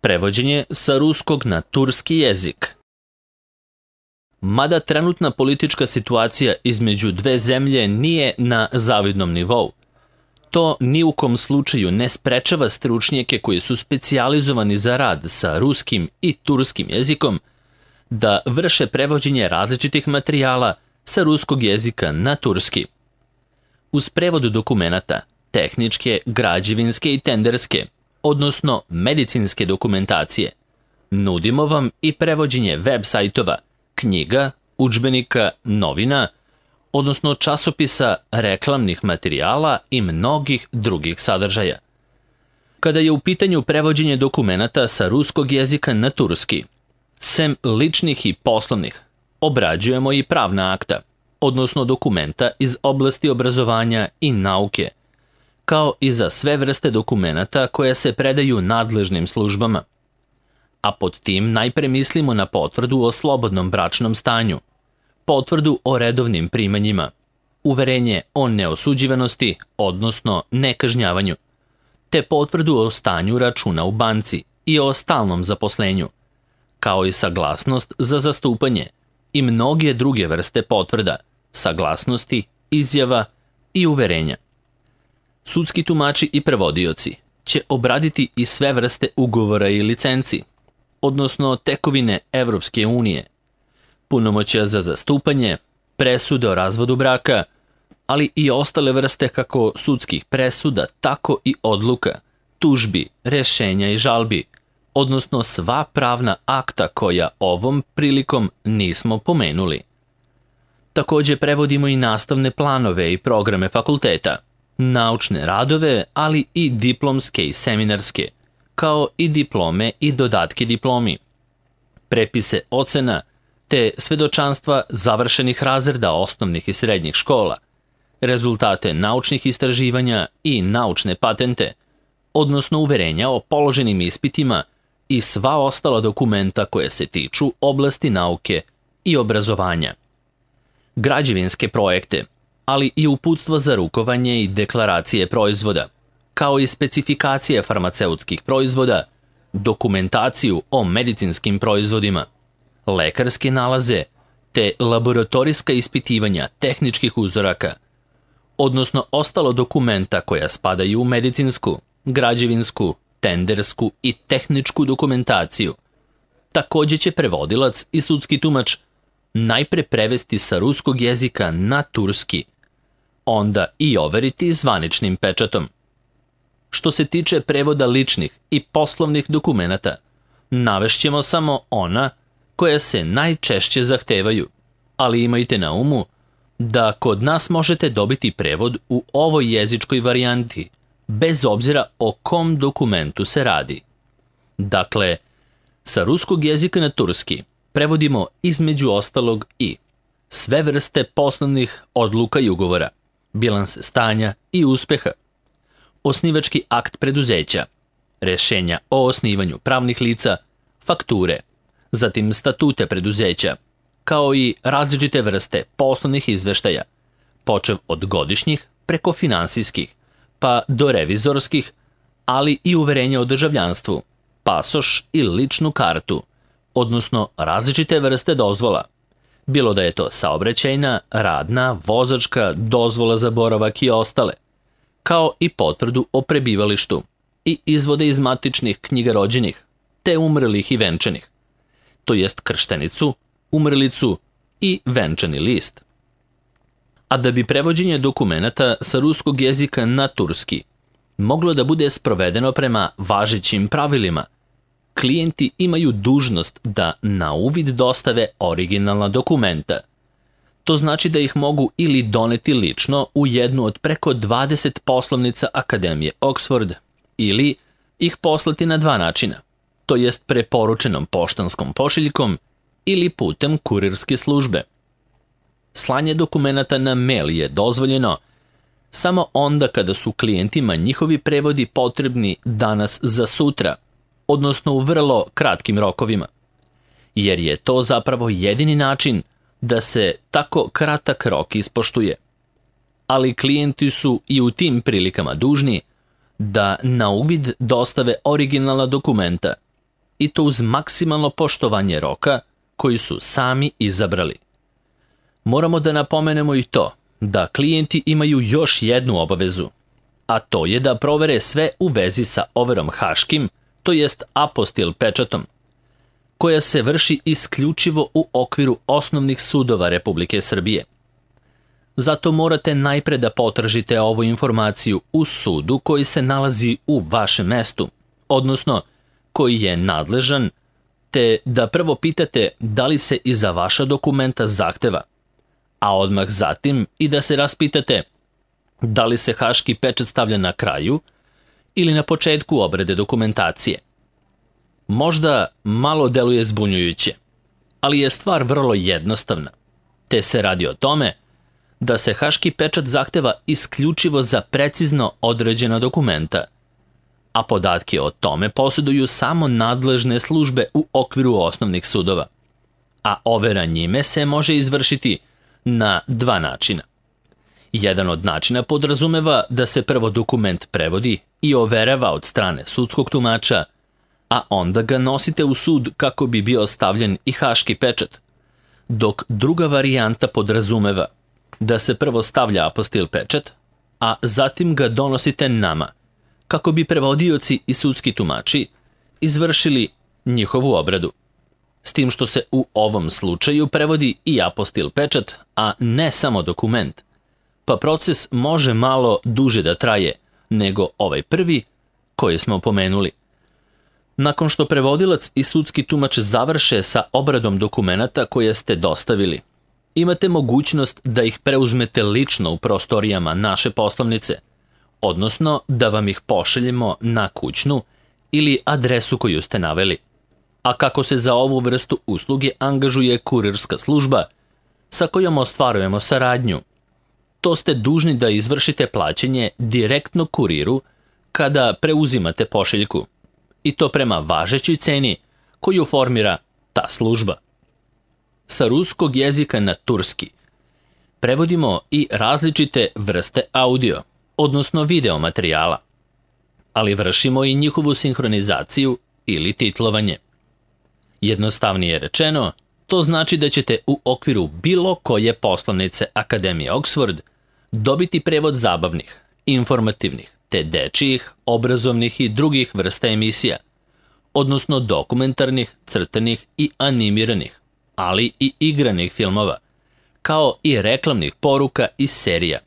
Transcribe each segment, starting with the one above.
Prevođenje sa ruskog na turski jezik. Mada trenutna politička situacija između dve zemlje nije na zavidnom nivou, to ni u kom slučaju ne sprečava stručnjake koji su specijalizovani za rad sa ruskim i turskim jezikom da vrše prevođenje različitih materijala sa ruskog jezika na turski. Uz prevod dokumenata, tehničke, građevinske i tenderske, odnosno medicinske dokumentacije, nudimo vam i prevođenje web sajtova, knjiga, udžbenika, novina, odnosno časopisa, reklamnih materijala i mnogih drugih sadržaja. Kada je u pitanju prevođenje dokumenata sa ruskog jezika na turski, sem ličnih i poslovnih, obrađujemo i pravna akta, odnosno dokumenta iz oblasti obrazovanja i nauke, kao i za sve vrste dokumenata koje se predaju nadležnim službama. A pod tim najpre mislimo na potvrdu o slobodnom bračnom stanju, potvrdu o redovnim primanjima, uverenje o neosuđivanosti, odnosno nekažnjavanju, te potvrdu o stanju računa u banci i o stalnom zaposlenju, kao i saglasnost za zastupanje i mnoge druge vrste potvrda, saglasnosti, izjava i uverenja. Sudski tumači i prevodioci će obraditi i sve vrste ugovora i licenci, odnosno tekovine Evropske unije, punomoćja za zastupanje, presude o razvodu braka, ali i ostale vrste kako sudskih presuda, tako i odluka, tužbi, rešenja i žalbi, odnosno sva pravna akta koja ovom prilikom nismo pomenuli. Takođe prevodimo i nastavne planove i programe fakulteta, naučne radove, ali i diplomske i seminarske, kao i diplome i dodatke diplomi, prepise ocena, te svedočanstva završenih razreda osnovnih i srednjih škola, rezultate naučnih istraživanja i naučne patente, odnosno uverenja o položenim ispitima i sva ostala dokumenta koje se tiču oblasti nauke i obrazovanja. Građevinske projekte, ali i uputstva za rukovanje i deklaracije proizvoda, kao i specifikacije farmaceutskih proizvoda, dokumentaciju o medicinskim proizvodima, lekarske nalaze, te laboratorijska ispitivanja tehničkih uzoraka, odnosno ostalo dokumenta koja spadaju u medicinsku, građevinsku, tendersku i tehničku dokumentaciju. Takođe će prevodilac i sudski tumač najpre prevesti sa ruskog jezika na turski, onda i overiti zvaničnim pečatom. Što se tiče prevoda ličnih i poslovnih dokumenata, navešćemo samo ona koja se najčešće zahtevaju, ali imajte na umu da kod nas možete dobiti prevod u ovoj jezičkoj varijanti, bez obzira o kom dokumentu se radi. Dakle, sa ruskog jezika na turski prevodimo između ostalog i sve vrste poslovnih odluka i ugovora, bilanse stanja i uspeha, osnivački akt preduzeća, rešenja o osnivanju pravnih lica, fakture, zatim statute preduzeća, kao i različite vrste poslovnih izveštaja, počev od godišnjih preko finansijskih, pa do revizorskih, ali i uverenja o državljanstvu, pasoš i ličnu kartu, odnosno različite vrste dozvola, bilo da je to saobraćajna, radna, vozačka, dozvola za boravak i ostale, kao i potvrdu o prebivalištu i izvode iz matičnih knjiga rođenih, te umrlih i venčanih, to jest krštenicu, umrlicu i venčani list. A da bi prevođenje dokumenata sa ruskog jezika na turski moglo da bude sprovedeno prema važećim pravilima, klijenti imaju dužnost da na uvid dostave originalna dokumenta. To znači da ih mogu ili doneti lično u jednu od preko 20 poslovnica Akademije Oxford, ili ih poslati na dva načina, to jest preporučenom poštanskom pošiljkom ili putem kurirske službe. Slanje dokumenata na mail je dozvoljeno samo onda kada su klijentima njihovi prevodi potrebni danas za sutra, odnosno u vrlo kratkim rokovima, jer je to zapravo jedini način da se tako kratak rok ispoštuje. Ali klijenti su i u tim prilikama dužni da na uvid dostave originalna dokumenta i to uz maksimalno poštovanje roka koji su sami izabrali. Moramo da napomenemo i to da klijenti imaju još jednu obavezu, a to je da provere sve u vezi sa overom haškim, to jest apostil pečatom, koja se vrši isključivo u okviru osnovnih sudova Republike Srbije. Zato morate najpre da potražite ovu informaciju u sudu koji se nalazi u vašem mestu, odnosno koji je nadležan, te da prvo pitate da li se i za vaša dokumenta zahteva, a odmah zatim i da se raspitate da li se haški pečat stavlja na kraju ili na početku obrade dokumentacije. Možda malo deluje zbunjujuće, ali je stvar vrlo jednostavna, te se radi o tome da se haški pečat zahteva isključivo za precizno određena dokumenta, a podatke o tome posjeduju samo nadležne službe u okviru osnovnih sudova, a overa njime se može izvršiti na dva načina. Jedan od načina podrazumeva da se prvo dokument prevodi i overava od strane sudskog tumača, a onda ga nosite u sud kako bi bio stavljen i haški pečat, dok druga varijanta podrazumeva da se prvo stavlja apostil pečat, a zatim ga donosite nama, kako bi prevodioci i sudski tumači izvršili njihovu obradu. S tim što se u ovom slučaju prevodi i apostil pečat, a ne samo dokument, pa proces može malo duže da traje nego ovaj prvi koji smo pomenuli. Nakon što prevodilac i sudski tumač završe sa obradom dokumenata koje ste dostavili, imate mogućnost da ih preuzmete lično u prostorijama naše poslovnice, odnosno da vam ih pošaljemo na kućnu ili adresu koju ste naveli. A kako se za ovu vrstu usluge angažuje kurirska služba sa kojom ostvarujemo saradnju, to ste dužni da izvršite plaćanje direktno kuriru kada preuzimate pošiljku, i to prema važećoj ceni koju formira ta služba. Sa ruskog jezika na turski prevodimo i različite vrste audio, odnosno video materijala, ali vršimo i njihovu sinhronizaciju ili titlovanje. Jednostavnije rečeno, to znači da ćete u okviru bilo koje poslovnice Akademije Oxford dobiti prevod zabavnih, informativnih, te dečijih, obrazovnih i drugih vrsta emisija, odnosno dokumentarnih, crtanih i animiranih, ali i igranih filmova, kao i reklamnih poruka i serija,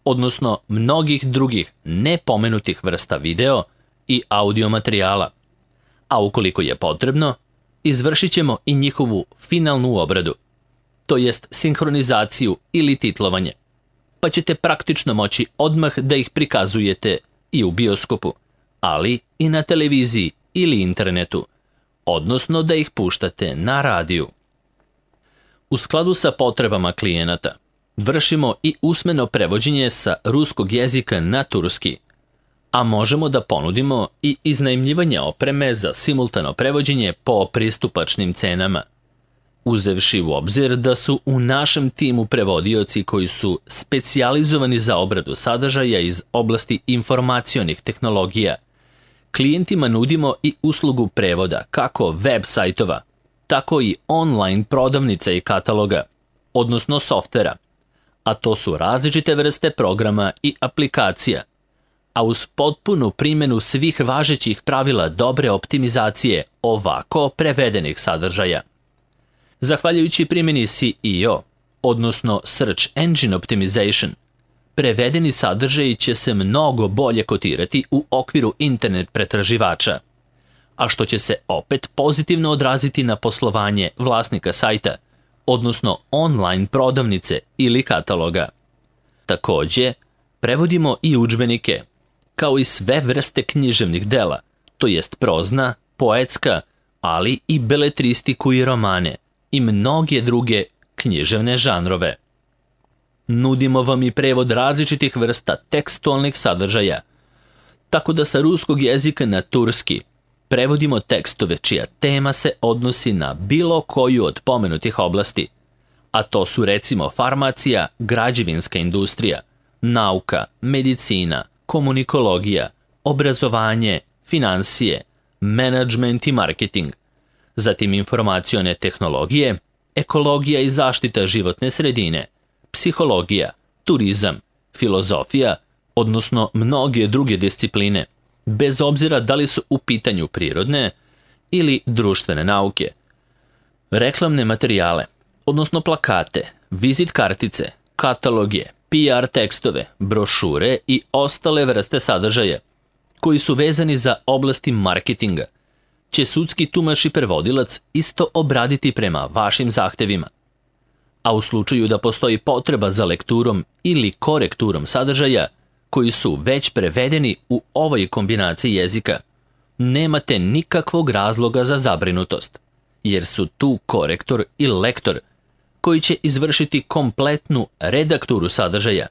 odnosno mnogih drugih nepomenutih vrsta video i audio materijala, a ukoliko je potrebno, izvršit ćemo i njihovu finalnu obradu, to jest sinhronizaciju ili titlovanje, pa ćete praktično moći odmah da ih prikazujete i u bioskopu, ali i na televiziji ili internetu, odnosno da ih puštate na radiju. U skladu sa potrebama klijenata, vršimo i usmeno prevođenje sa ruskog jezika na turski, a možemo da ponudimo i iznajmljivanje opreme za simultano prevođenje po pristupačnim cenama, uzevši u obzir da su u našem timu prevodioci koji su specijalizovani za obradu sadržaja iz oblasti informacionih tehnologija. Klijentima nudimo i uslugu prevoda kako web sajtova, tako i online prodavnica i kataloga, odnosno softvera, a to su različite vrste programa i aplikacija, a uz potpunu primjenu svih važećih pravila dobre optimizacije ovako prevedenih sadržaja. Zahvaljujući primjeni SEO, odnosno Search Engine Optimization, prevedeni sadržaji će se mnogo bolje kotirati u okviru internet pretraživača, a što će se opet pozitivno odraziti na poslovanje vlasnika sajta, odnosno online prodavnice ili kataloga. Takođe, prevodimo i udžbenike, kao i sve vrste književnih dela, to jest prozna, poetska, ali i beletristiku i romane i mnoge druge književne žanrove. Nudimo vam i prevod različitih vrsta tekstualnih sadržaja, tako da sa ruskog jezika na turski prevodimo tekstove čija tema se odnosi na bilo koju od pomenutih oblasti, a to su recimo farmacija, građevinska industrija, nauka, medicina, komunikologija, obrazovanje, finansije, menadžment i marketing, zatim informacione tehnologije, ekologija i zaštita životne sredine, psihologija, turizam, filozofija, odnosno mnoge druge discipline, bez obzira da li su u pitanju prirodne ili društvene nauke. Reklamne materijale, odnosno plakate, vizit kartice, kataloge, PR tekstove, brošure i ostale vrste sadržaja koji su vezani za oblasti marketinga, će sudski tumač i prevodilac isto obraditi prema vašim zahtevima. A u slučaju da postoji potreba za lekturom ili korekturom sadržaja koji su već prevedeni u ovoj kombinaciji jezika, nemate nikakvog razloga za zabrinutost, jer su tu korektor i lektor koji će izvršiti kompletnu redakturu sadržaja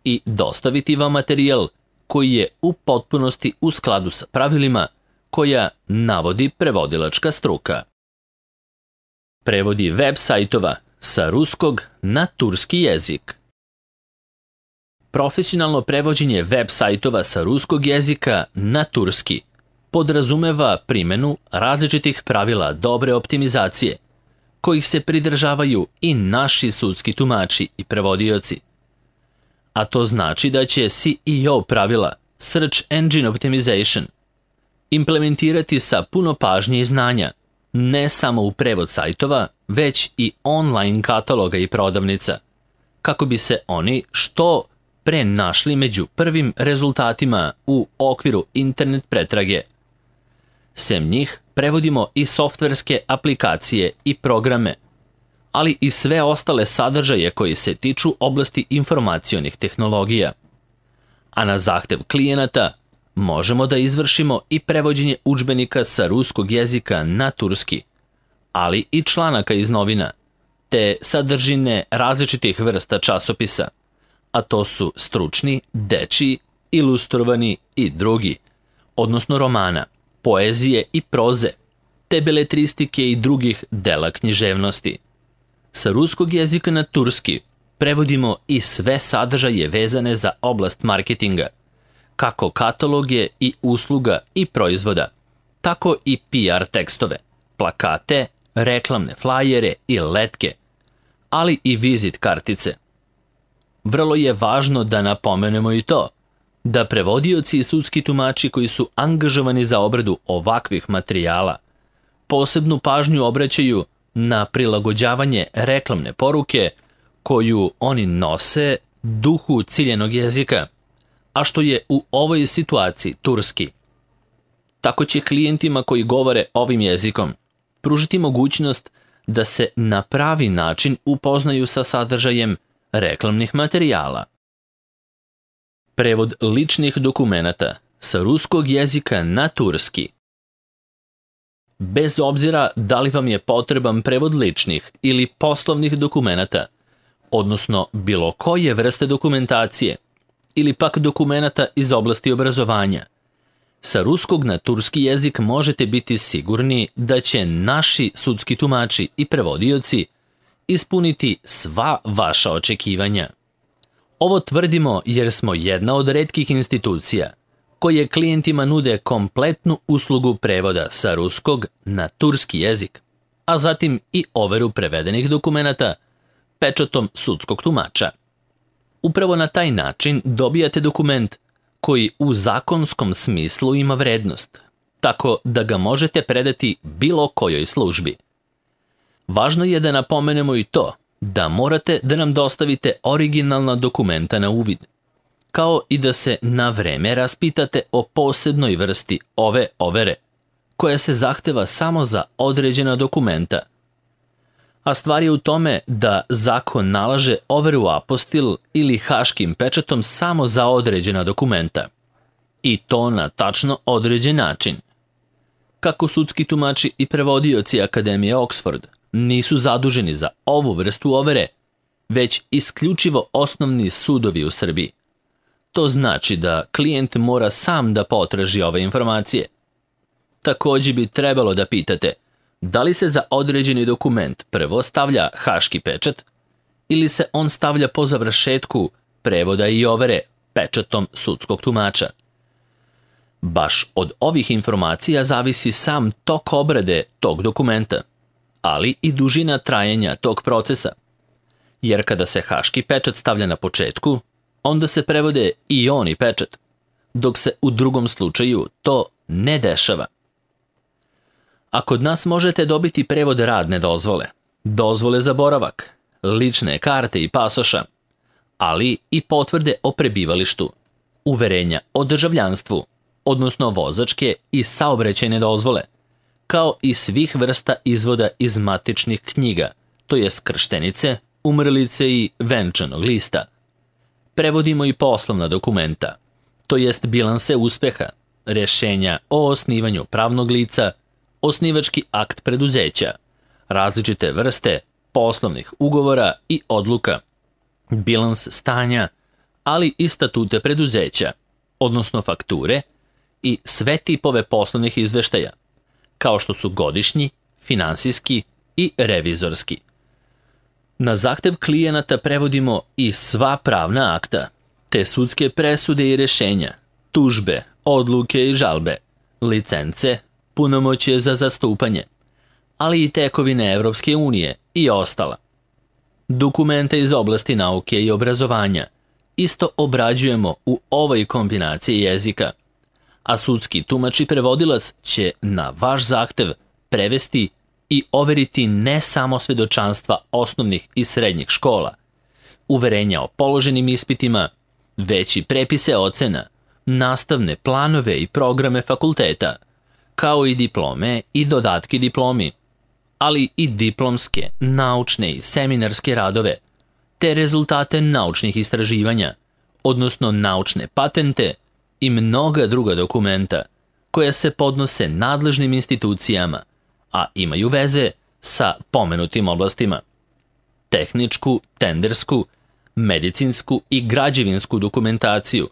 i dostaviti vam materijal koji je u potpunosti u skladu sa pravilima koja navodi prevodilačka struka. Prevodi web sajtova sa ruskog na turski jezik. Profesionalno prevođenje web sajtova sa ruskog jezika na turski podrazumeva primjenu različitih pravila dobre optimizacije, kojih se pridržavaju i naši sudski tumači i prevodioci. A to znači da će SEO pravila, Search Engine Optimization, implementirati sa puno pažnje i znanja, ne samo u prevod sajtova, već i online kataloga i prodavnica, kako bi se oni što pre našli među prvim rezultatima u okviru internet pretrage. Sem njih, prevodimo i softverske aplikacije i programe, ali i sve ostale sadržaje koji se tiču oblasti informacionih tehnologija. A na zahtev klijenata možemo da izvršimo i prevođenje udžbenika sa ruskog jezika na turski, ali i članaka iz novina, te sadržine različitih vrsta časopisa, a to su stručni, dečiji, ilustrovani i drugi, odnosno romana, poezije i proze, te beletristike i drugih dela književnosti. Sa ruskog jezika na turski prevodimo i sve sadržaje vezane za oblast marketinga, kako kataloge i usluga i proizvoda, tako i PR tekstove, plakate, reklamne flajere i letke, ali i vizit kartice. Vrlo je važno da napomenemo i to, da prevodioci i sudski tumači koji su angažovani za obradu ovakvih materijala posebnu pažnju obraćaju na prilagođavanje reklamne poruke koju oni nose duhu ciljenog jezika, a što je u ovoj situaciji turski. Tako će klijentima koji govore ovim jezikom pružiti mogućnost da se na pravi način upoznaju sa sadržajem reklamnih materijala. Prevod ličnih dokumenata sa ruskog jezika na turski. Bez obzira da li vam je potreban prevod ličnih ili poslovnih dokumenata, odnosno bilo koje vrste dokumentacije, ili pak dokumenata iz oblasti obrazovanja, sa ruskog na turski jezik možete biti sigurni da će naši sudski tumači i prevodioci ispuniti sva vaša očekivanja. Ovo tvrdimo jer smo jedna od retkih institucija koje klijentima nude kompletnu uslugu prevoda sa ruskog na turski jezik, a zatim i overu prevedenih dokumenata pečatom sudskog tumača. Upravo na taj način dobijate dokument koji u zakonskom smislu ima vrednost, tako da ga možete predati bilo kojoj službi. Važno je da napomenemo i to da morate da nam dostavite originalna dokumenta na uvid, kao i da se na vreme raspitate o posebnoj vrsti ove overe, koja se zahteva samo za određena dokumenta. A stvar je u tome da zakon nalaže overu apostil ili haškim pečatom samo za određena dokumenta. I to na tačno određen način. Kako sudski tumači i prevodioci Akademije Oxford nisu zaduženi za ovu vrstu overe, već isključivo osnovni sudovi u Srbiji. To znači da klijent mora sam da potraži ove informacije. Također bi trebalo da pitate da li se za određeni dokument prvo stavlja haški pečat ili se on stavlja po završetku prevoda i overe pečatom sudskog tumača. Baš od ovih informacija zavisi sam tok obrade tog dokumenta, ali i dužina trajanja tog procesa. Jer kada se haški pečat stavlja na početku, onda se prevode i oni pečat, dok se u drugom slučaju to ne dešava. A kod nas možete dobiti prevod radne dozvole, dozvole za boravak, lične karte i pasoša, ali i potvrde o prebivalištu, uverenja o državljanstvu, odnosno vozačke i saobraćajne dozvole, kao i svih vrsta izvoda iz matičnih knjiga, to jest krštenice, umrlice i venčanog lista. Prevodimo i poslovna dokumenta, to jest bilanse uspeha, rješenja o osnivanju pravnog lica, osnivački akt preduzeća, različite vrste poslovnih ugovora i odluka, bilans stanja, ali i statute preduzeća, odnosno fakture i sve tipove poslovnih izveštaja, kao što su godišnji, finansijski i revizorski. Na zahtev klijenata prevodimo i sva pravna akta, te sudske presude i rješenja, tužbe, odluke i žalbe, licence, punomoćje za zastupanje, ali i tekovine Evropske unije i ostala. Dokumente iz oblasti nauke i obrazovanja isto obrađujemo u ovoj kombinaciji jezika, a sudski tumač i prevodilac će na vaš zahtev prevesti i overiti ne samo svedočanstva osnovnih i srednjih škola, uverenja o položenim ispitima, već i prepise ocena, nastavne planove i programe fakulteta, kao i diplome i dodatke diplomi, ali i diplomske, naučne i seminarske radove, te rezultate naučnih istraživanja, odnosno naučne patente i mnoga druga dokumenta koja se podnose nadležnim institucijama, a imaju veze sa pomenutim oblastima. Tehničku, tendersku, medicinsku i građevinsku dokumentaciju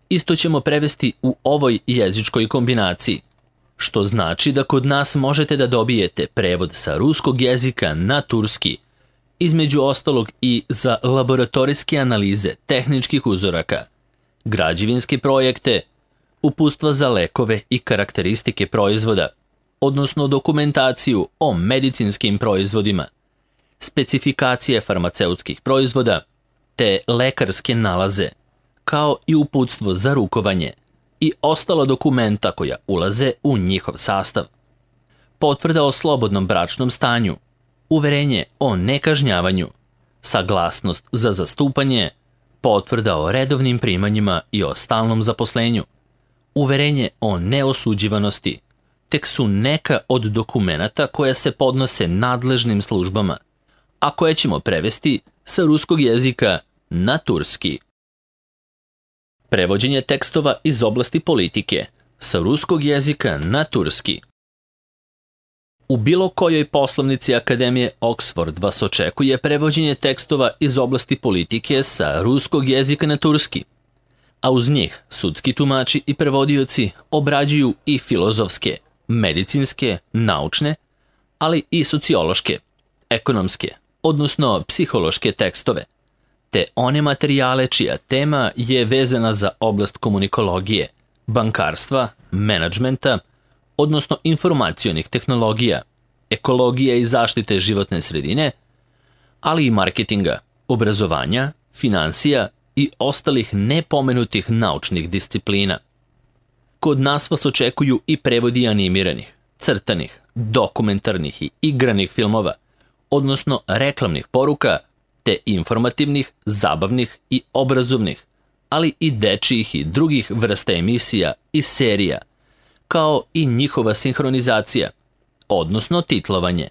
isto ćemo prevesti u ovoj jezičkoj kombinaciji, što znači da kod nas možete da dobijete prevod sa ruskog jezika na turski, između ostalog i za laboratorijske analize tehničkih uzoraka, građevinske projekte, uputstva za lekove i karakteristike proizvoda, odnosno dokumentaciju o medicinskim proizvodima, specifikacije farmaceutskih proizvoda, te lekarske nalaze, kao i uputstvo za rukovanje i ostala dokumenta koja ulaze u njihov sastav. Potvrda o slobodnom bračnom stanju, uverenje o nekažnjavanju, saglasnost za zastupanje, potvrda o redovnim primanjima i o stalnom zaposlenju, uverenje o neosuđivanosti, tek su neka od dokumenata koja se podnose nadležnim službama, a koje ćemo prevesti sa ruskog jezika na turski. Prevođenje tekstova iz oblasti politike sa ruskog jezika na turski. U bilo kojoj poslovnici Akademije Oxford vas očekuje prevođenje tekstova iz oblasti politike sa ruskog jezika na turski, a uz njih sudski tumači i prevodioci obrađuju i filozofske, medicinske, naučne, ali i sociološke, ekonomske, odnosno psihološke tekstove, te one materijale čija tema je vezana za oblast komunikologije, bankarstva, menadžmenta, odnosno informacionih tehnologija, ekologije i zaštite životne sredine, ali i marketinga, obrazovanja, finansija i ostalih nepomenutih naučnih disciplina. Kod nas vas očekuju i prevodi animiranih, crtanih, dokumentarnih i igranih filmova, odnosno reklamnih poruka, te informativnih, zabavnih i obrazovnih, ali i dečijih i drugih vrsta emisija i serija, kao i njihova sinhronizacija, odnosno titlovanje.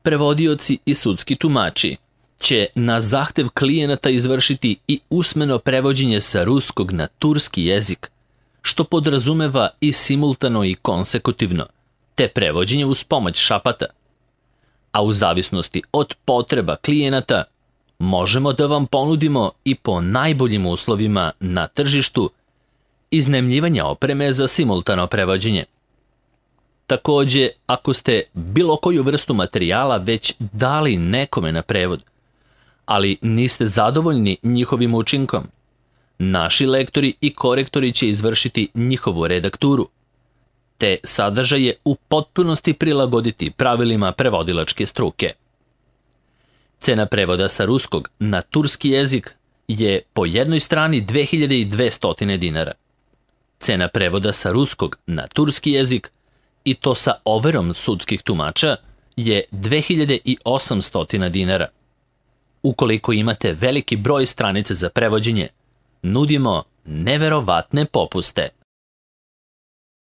Prevodioci i sudski tumači će na zahtev klijenata izvršiti i usmeno prevođenje sa ruskog na turski jezik, što podrazumeva i simultano i konsekutivno, te prevođenje uz pomoć šapata. A u zavisnosti od potreba klijenata možemo da vam ponudimo i po najboljim uslovima na tržištu iznajmljivanja opreme za simultano prevođenje. Takođe, ako ste bilo koju vrstu materijala već dali nekome na prevod, ali niste zadovoljni njihovim učinkom, Naši lektori i korektori će izvršiti njihovu redakturu. Te sadržaje u potpunosti prilagoditi pravilima prevodilačke struke. Cena prevoda sa ruskog na turski jezik je po jednoj strani 2200 dinara. Cena prevoda sa ruskog na turski jezik, i to sa overom sudskih tumača, je 2800 dinara. Ukoliko imate veliki broj stranica za prevođenje, nudimo neverovatne popuste.